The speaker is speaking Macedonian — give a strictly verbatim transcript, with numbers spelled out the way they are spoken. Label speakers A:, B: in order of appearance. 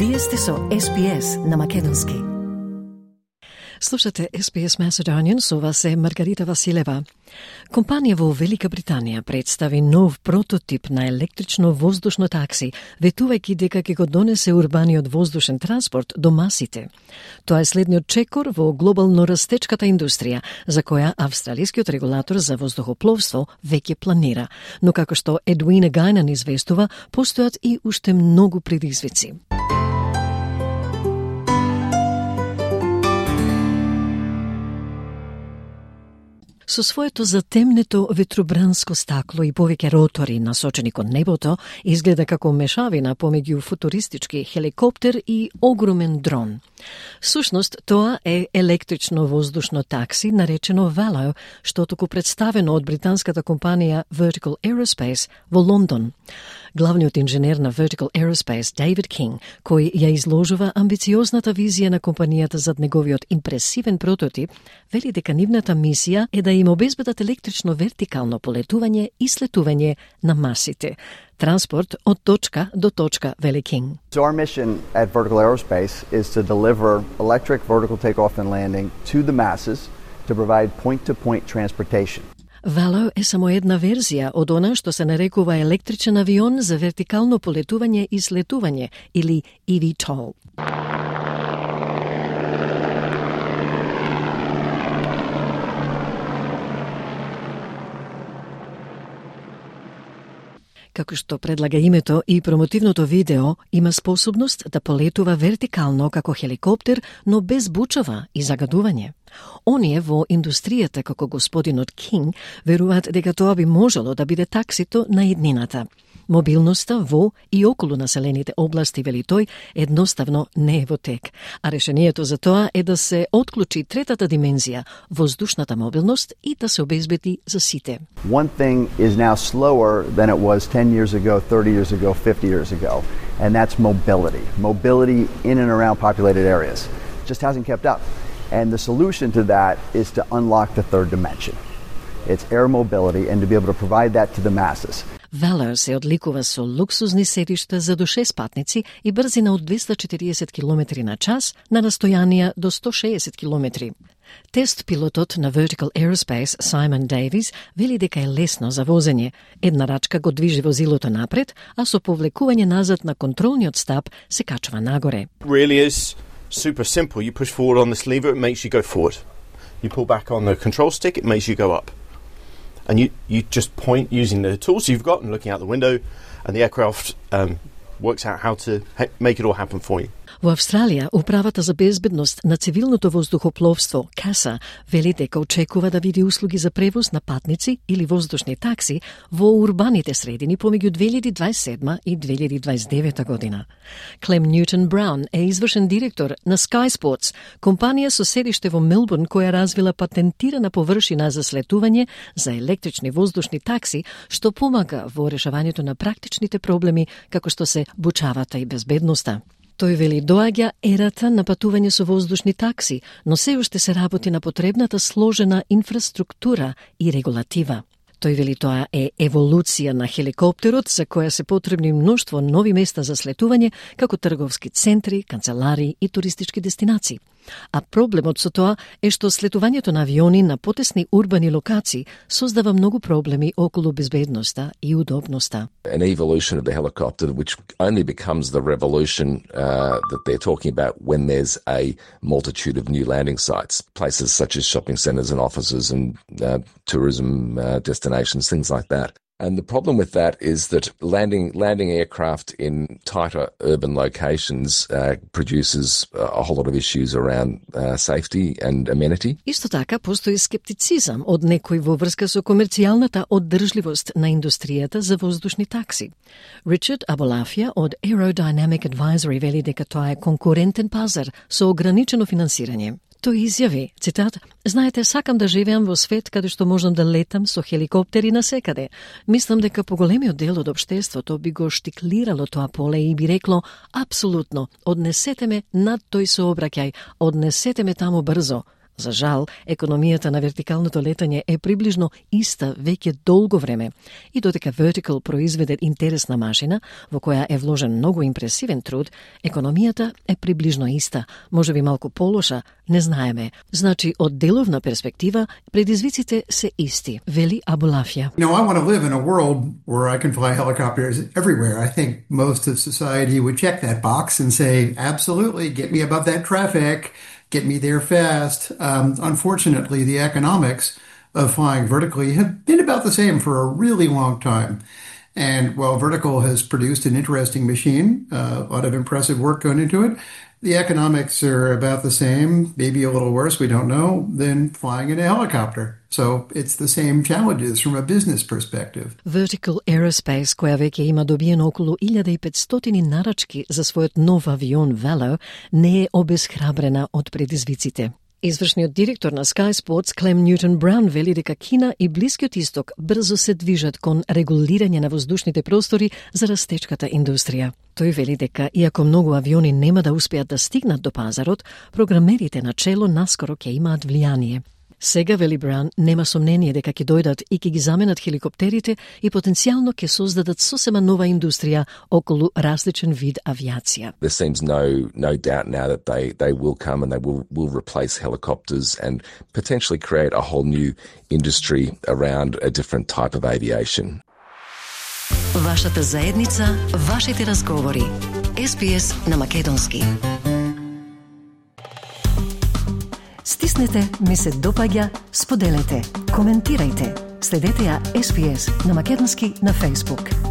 A: Вие сте со Ес Би Ес на македонски.
B: Слушате Ес Би Ес Macedonian, со вас е Маргарита Василева. Компанија во Велика Британија представи нов прототип на електрично воздушно такси, ветувајќи дека ќе го донесе урбаниот воздушен транспорт до масите. Тоа е следниот чекор во глобално растечката индустрија, за која австралискиот регулатор за воздухопловство веќе планира. Но како што Едуина Гајнан известува, постојат и уште многу предизвици. Со своето затемнето ветробранско стакло и повеќе ротори насочени кон небото, изгледа како мешавина помеѓу футуристички хеликоптер и огромен дрон. Сушност, тоа е електрично воздушно такси, наречено Valo, што току представено од британската компанија Vertical Aerospace во Лондон. Главниот инженер на Vertical Aerospace, David King, кој ја изложува амбициозната визија на компанијата зад неговиот импресивен прототип, вели дека нивната мисија е да им обезбедат електрично вертикално полетување и слетување на масите. Транспорт од точка до точка, вели King.
C: So our mission at Vertical Aerospace is to deliver electric vertical takeoff and landing to the masses to provide point-to-point transportation.
B: Valo е само една верзија од она што се нарекува електричен авион за вертикално полетување и слетување, или и ви тол. Како што предлага името и промотивното видео, има способност да полетува вертикално како хеликоптер, но без бучава и загадување. Оние во индустријата, како господинот Кинг, веруваат дека тоа би можело да биде таксито на иднината. Мобилноста во и околу населените области, вели тој, едноставно не е во тек. А решението за тоа е да се отклучи третата димензија, воздушната мобилност, и да се обезбеди за сите.
C: One thing is now slower than it was ten years ago, thirty years ago, fifty years ago, and that's mobility. Mobility in and around populated areas. It just hasn't kept up. And the solution to that is to unlock the third dimension. It's air mobility, and to be able to provide that to the masses.
B: Valo се одликува со луксузни седишта за до шест патници и брзина од двеста четириесет километри на час на растојанија до сто шеесет километри. Тест пилотот на Vertical Aerospace, Simon Davies, вели дека е лесно за возење. Една рачка го движи возилото напред, а со повлекување назад на контролниот стап се качува нагоре.
D: Really is super simple. You push forward on this lever, it makes you go forward. You pull back on the control stick, it makes you go up. And you, you just point using the tools you've got and looking out the window, and the aircraft um, works out how to ha- make it all happen for you.
B: Во Австралија, Управата за безбедност на цивилното воздухопловство, КАСА, вели дека очекува да види услуги за превоз на патници или воздушни такси во урбаните средини помеѓу две илјади дваесет и седма и две илјади дваесет и девета година. Клем Ньютон Браун е извршен директор на Sky Sports, компанија со седиште во Мелбурн која развила патентирана површина за слетување за електрични воздушни такси, што помага во решавањето на практичните проблеми како што се бучавата и безбедноста. Тој вели доаѓа ерата на патување со воздушни такси, но се уште се работи на потребната сложена инфраструктура и регулатива. Тој вели тоа е еволуција на хеликоптерот за која се потребни мноштво нови места за слетување, како трговски центри, канцелари и туристички дестинации. А проблемот со тоа е што слетувањето на авиони на потесни урбани локации создава многу проблеми околу безбедноста и удобноста.
E: An evolution of the helicopter which only becomes the revolution uh, that they're talking about when there's a multitude of new landing sites, places such as shopping centres and offices and uh, tourism uh, destinations, things like that. And the problem with that is that landing landing aircraft in tighter urban locations uh, produces a whole lot of issues around uh, safety and amenity.
B: Исто така постои скептицизам од некои во врска со комерцијалната оддржливост на индустријата за воздушни такси. Ричард Аболафија од Aerodynamic Advisory вели дека тоа е конкурентен пазар со ограничено финансирање. Тој изјави, цитат, "Знаете, сакам да живеам во свет каде што можам да летам со хеликоптери насекаде. Мислам дека поголемиот дел од општеството би го штиклирало тоа поле и би рекло, апсолутно, однесете ме над тој сообраќај, однесете ме таму брзо. За жал, економијата на вертикалното летање е приближно иста веќе долго време и додека Vertical произведе интересна машина во која е вложен многу импресивен труд, економијата е приближно иста, можеби малку полоша, не знаеме. Значи, од деловна перспектива, предизвиците се исти, вели Абулафија.
F: You know, I want to live in a world where I can fly helicopters everywhere. I think most of society would check that box and say, absolutely, get me above that traffic, get me there fast. Um, unfortunately, the economics of flying vertically have been about the same for a really long time. And while Vertical has produced an interesting machine, uh, a lot of impressive work going into it, the economics are about the same, maybe a little worse, we don't know, than flying in a helicopter. So it's the same challenges from a business perspective.
B: Vertical Aerospace, која веќе има добиено околу илјада и петстотини нарачки за својот нов авион Valo, не е обесхрабрена од предизвиците. Извршниот директор на Sky Sports, Клем Ньютон Браун, вели дека Кина и Блискиот Исток брзо се движат кон регулирање на воздушните простори за растечката индустрија. Тој вели дека, иако многу авиони нема да успеат да стигнат до пазарот, програмерите на чело наскоро ќе имаат влијание. Сега, вели Браун, нема сомнение дека ќе дојдат и ќе ги заменат хеликоптерите и потенцијално ќе создадат сосема нова индустрија околу различен вид авиација.
E: There seems no no doubt now that they, they will come and they will, will replace helicopters and potentially create a whole new industry around a different type of aviation.
A: Вашата заедница, вашите разговори. Ес Би Ес на македонски. Стиснете, ми се допаѓа, споделете, коментирајте. Следете ја Ес Би Ес на македонски на Facebook.